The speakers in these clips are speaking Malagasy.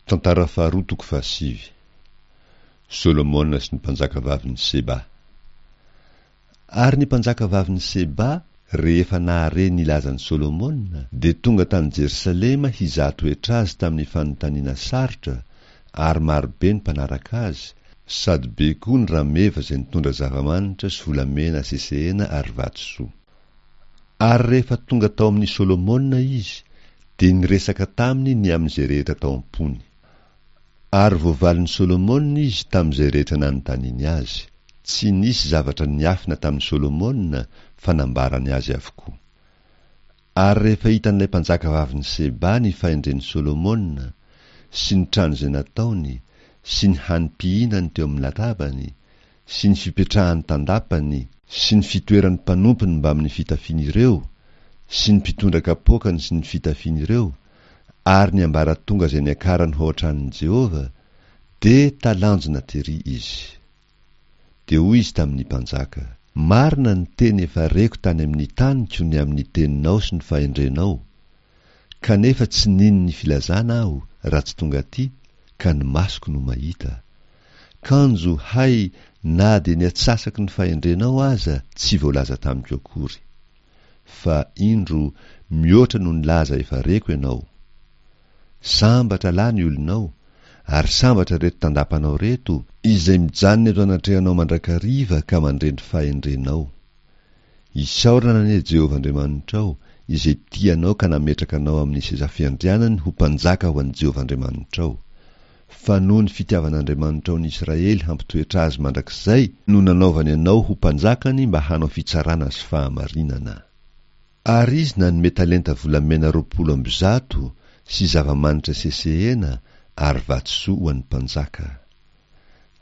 Tantara faharoa toko fahasivy. Solomona sy ny mpanjakavavin'i Seba. Ary ny mpanjakavavin'i Seba, rehefa nahare ny lazan'i Solomona, dia tonga tany Jerosalema hizaha toetra azy tamin'ny fanontaniana sarotra, ary marobe ny mpanaraka azy, sady be koa ny rameva izay nitondra zava-manitra sy volamena sesehena ary vatosoa. Ary rehefa tonga tao amin'i Solomona izy, dia niresaka taminy ny amin'izay rehetra tao am-pony. Ary voavalin'i Solomona izy tamin'izay rehetra nanontaniany azy. Tsy nisy zavatra niafina tamin'i Solomona fa nambarany azy avokoa. Ary rehefa hitan'ilay mpanjakavavin'i Seba ny fahendren'i Solomona, sy ny trano izay nataony, sy ny hanim-pihinany teo amin'ny latabany, sy ny fipetrahany tandapany, sy ny fitoeran'ny mpanompony mbamin'ny fitafian'ireo, sy ny mpitondra kapoakany sy ny fitafian'ireo, ary ny ambaratonga izay niakarany ho ao an-tranon'i Jehovah, dia talanjona terỳ izy. Dia hoy izy tamin'ny mpanjaka, Marina ny teny efa reko tany amin'ny taniko ny amin'ny teninao sy ny fahendrenao, kanefa tsy nino ny filazana aho raha tsy tonga atỳ, ka ny masoko no mahita. Kanjo, hay, na dia ny atsasaky ny fahendrenao aza tsy voalaza tamiko akory. Fa, indro, mihoatra noho ny laza efa reko ianao. Sambatra lahy ny olonao, ary sambatra ireto tandapanao ireto, izay mijanona eto anatrehanao mandrakariva ka mandre ny fahendrenao. Isaorana anie Jehovah Andriamanitrao, izay tia anao ka nametraka anao amin'ny seza fiandrianany ho mpanjaka ho an'i Jehovah Andriamanitrao. Fa noho ny fitiavan'Andriamanitrao ny Israely hampitoetra azy mandrakizay no nanaovany anao ho mpanjakany mba hanao fitsarana sy fahamarinana. Ary izy nanome talenta volamena 120 sy zava-manitra sesehena ary vatosoa ho an'ny mpanjaka.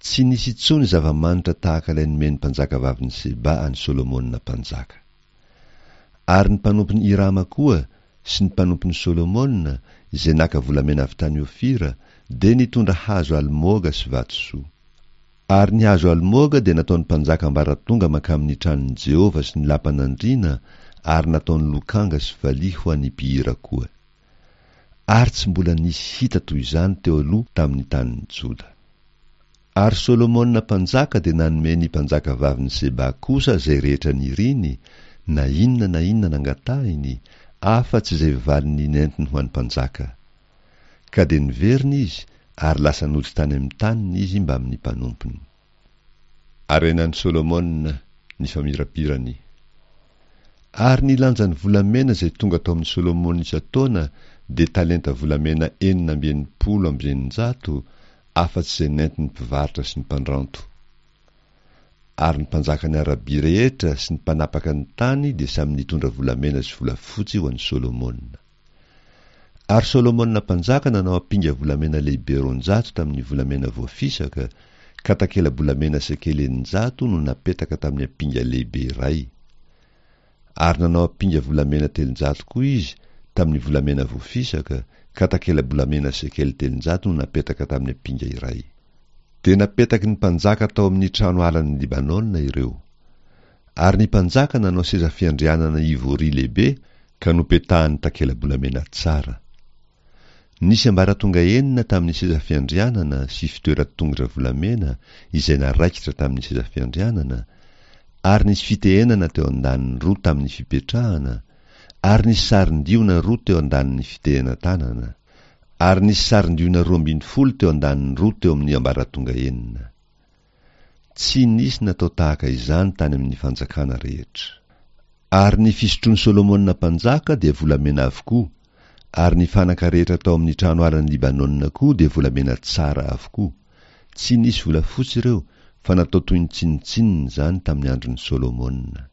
Tsy nisy intsony zava-manitra tahaka ilay nomen'ny mpanjakavavin'i Seba an'i Solomona mpanjaka. Ary ny mpanompon'i Hirama koa sy ny mpanompon'i Solomona, izay naka volamena avy tany Ofira, dia nitondra hazo almoga sy vatosoa. Ary ny hazo almoga dia nataon'ny mpanjaka ambaratonga mankamin'ny tranon'i Jehovah sy ny lapan'andriana ary nataony lokanga sy valiha ho an'ny mpihira koa. Ary tsy mbola nisy hita toy izany teo aloha tamin'ny tanin'i Joda. Ary Solomona mpanjaka dia nanome ny mpanjakavavin'i Seba kosa izay rehetra niriny, na inona na inona nangatahiny, afa-tsy izay valiny nentiny ho an'ny mpanjaka. Ka dia niverina izy, ary lasa nody tany amin'ny taniny izy mbamin'ny mpanompony. Harenan'i Solomona ny famirapirany. Ary ny lanjan'ny volamena izay tonga tao amin'i Solomona isan-taona dia talenta volamena 666, afa-tsy izay nentin'ny mpivarotra sy ny mpandranto. Ary ny mpanjakan'i Arabia rehetra sy ny mpanapaka ny tany dia samy nitondra volamena sy volafotsy ho an'i Solomona. Ary Solomona mpanjaka nanao ampinga volamena lehibe 200 tamin'ny volamena voafisaka, ka takela-bolamena sekely 600 no napetaka tamin'ny ampinga lehibe iray. Ary nanao ampinga volamena 300 koa izy tamin'ny volamena voafisaka, ka takela-bolamena sekely 300 no napetaka tamin'ny ampinga iray. Dia napetaky ny mpanjaka tao amin'ny trano alan'i Libanona ireo. Ary ny mpanjaka nanao seza fiandrianana ivory lehibe ka nopetahany takela-bolamena tsara. Nisy ambaratonga enina tamin'ny seza fiandrianana sy fitoeran-tongotra volamena izay naraikitra tamin'ny seza fiandrianana, ary nisy fitehenana teo an-daniny roa tamin'ny fipetrahana, ary nisy sarin-diona roa teo an-danin'ny fitehenan-tanana, ary nisy sarin-diona 12 teo an-daniny roa teo amin'ny ambaratonga enina. Tsy nisy natao tahaka izany tany amin'ny fanjakana rehetra. Ary ny fisotroan'i Solomona mpanjaka dia volamena avokoa, ary ny fanaka rehetra tao amin'ny trano alan'i Libanona koa dia volamena tsara avokoa. Tsy nisy volafotsy ireo, fa natao toy ny tsinontsinona izany tamin'ny andron'i Solomona.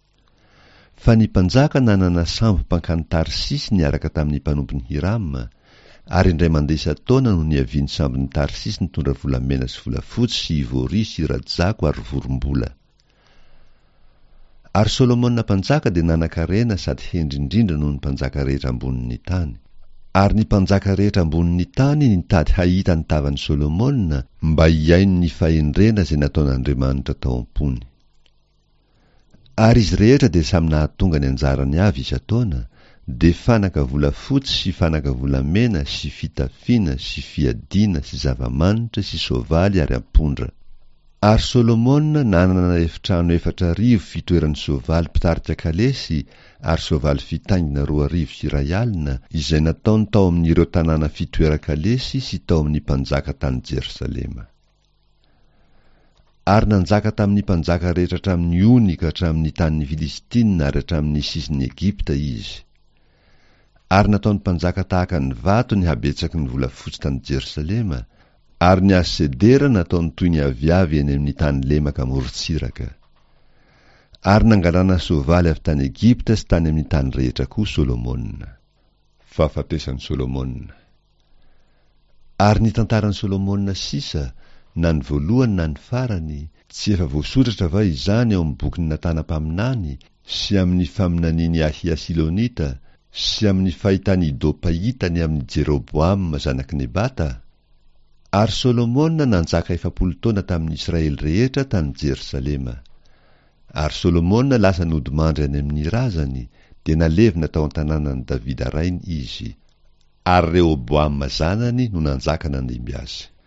Fa ny mpanjaka nanana sambo mpankany Tarsisy niaraka tamin'ny mpanompon'i Hirama, ary indray mandeha isan-taona no niavian'ny sambon'i Tarsisy nitondra volamena sy volafotsy sy ivory sy rajako ary vorombola. Ary Solomona mpanjaka dia nanan-karena sady hendry indrindra noho ny mpanjaka rehetra ambonin'ny tany. Ary ny mpanjaka rehetra ambonin'ny tany nitady hahita ny tavan'i Solomona mba hihaino ny fahendrena izay nataon'Andriamanitra tao am-pony. Ary izy rehetra dia samy nahatonga ny anjarany avy isan-taona, dia fanaka volafotsy sy fanaka volamena sy fitafiana sy fiadiana sy zava-manitra sy soavaly ary ampondra. Ary Solomona nanana efitrano 4000 fitoeran'ny soavaly mpitarika kalesy ary soavaly fitaingina 2002, izay nataony tao amin'ireo tanàna fitoeran-kalesy sy tao amin'ny mpanjaka tany Jerosalema. Ary nanjaka tamin'ny mpanjaka rehetra hatramin'ny ony ka hatramin'ny tanin'ny Filistina ary hatramin'ny sisin'i Egypta izy. Ary nataon'ny mpanjaka tahaka ny vato ny habetsaky ny volafotsy tany Jerosalema, ary ny hazo sedera nataony toy ny aviavy eny amin'ny tany lemaka amorontsiraka. Ary nangalana soavaly avy tany Egypta sy tany amin'ny tany rehetra koa Solomona. Fahafatesan'i Solomona. Ary ny tantaran'i Solomona sisa, na ny voalohany na ny farany, tsy efa voasoratra va izany ao amin'ny bokin'i Natana mpaminany, sy amin'ny faminanian'i Ahia Silonita, sy amin'ny fahitan'i Ido mpahita ny amin'i Jeroboama zanak'i Nebata? Ary Solomona nanjaka 40 taona tamin'ny Israely rehetra tany Jerosalema. Ary Solomona lasa nodimandry any amin'ny razany, dia nalevina tao an-tanànan'i Davida rainy izy. Ary Rehoboama zanany no nanjaka nandimby azy.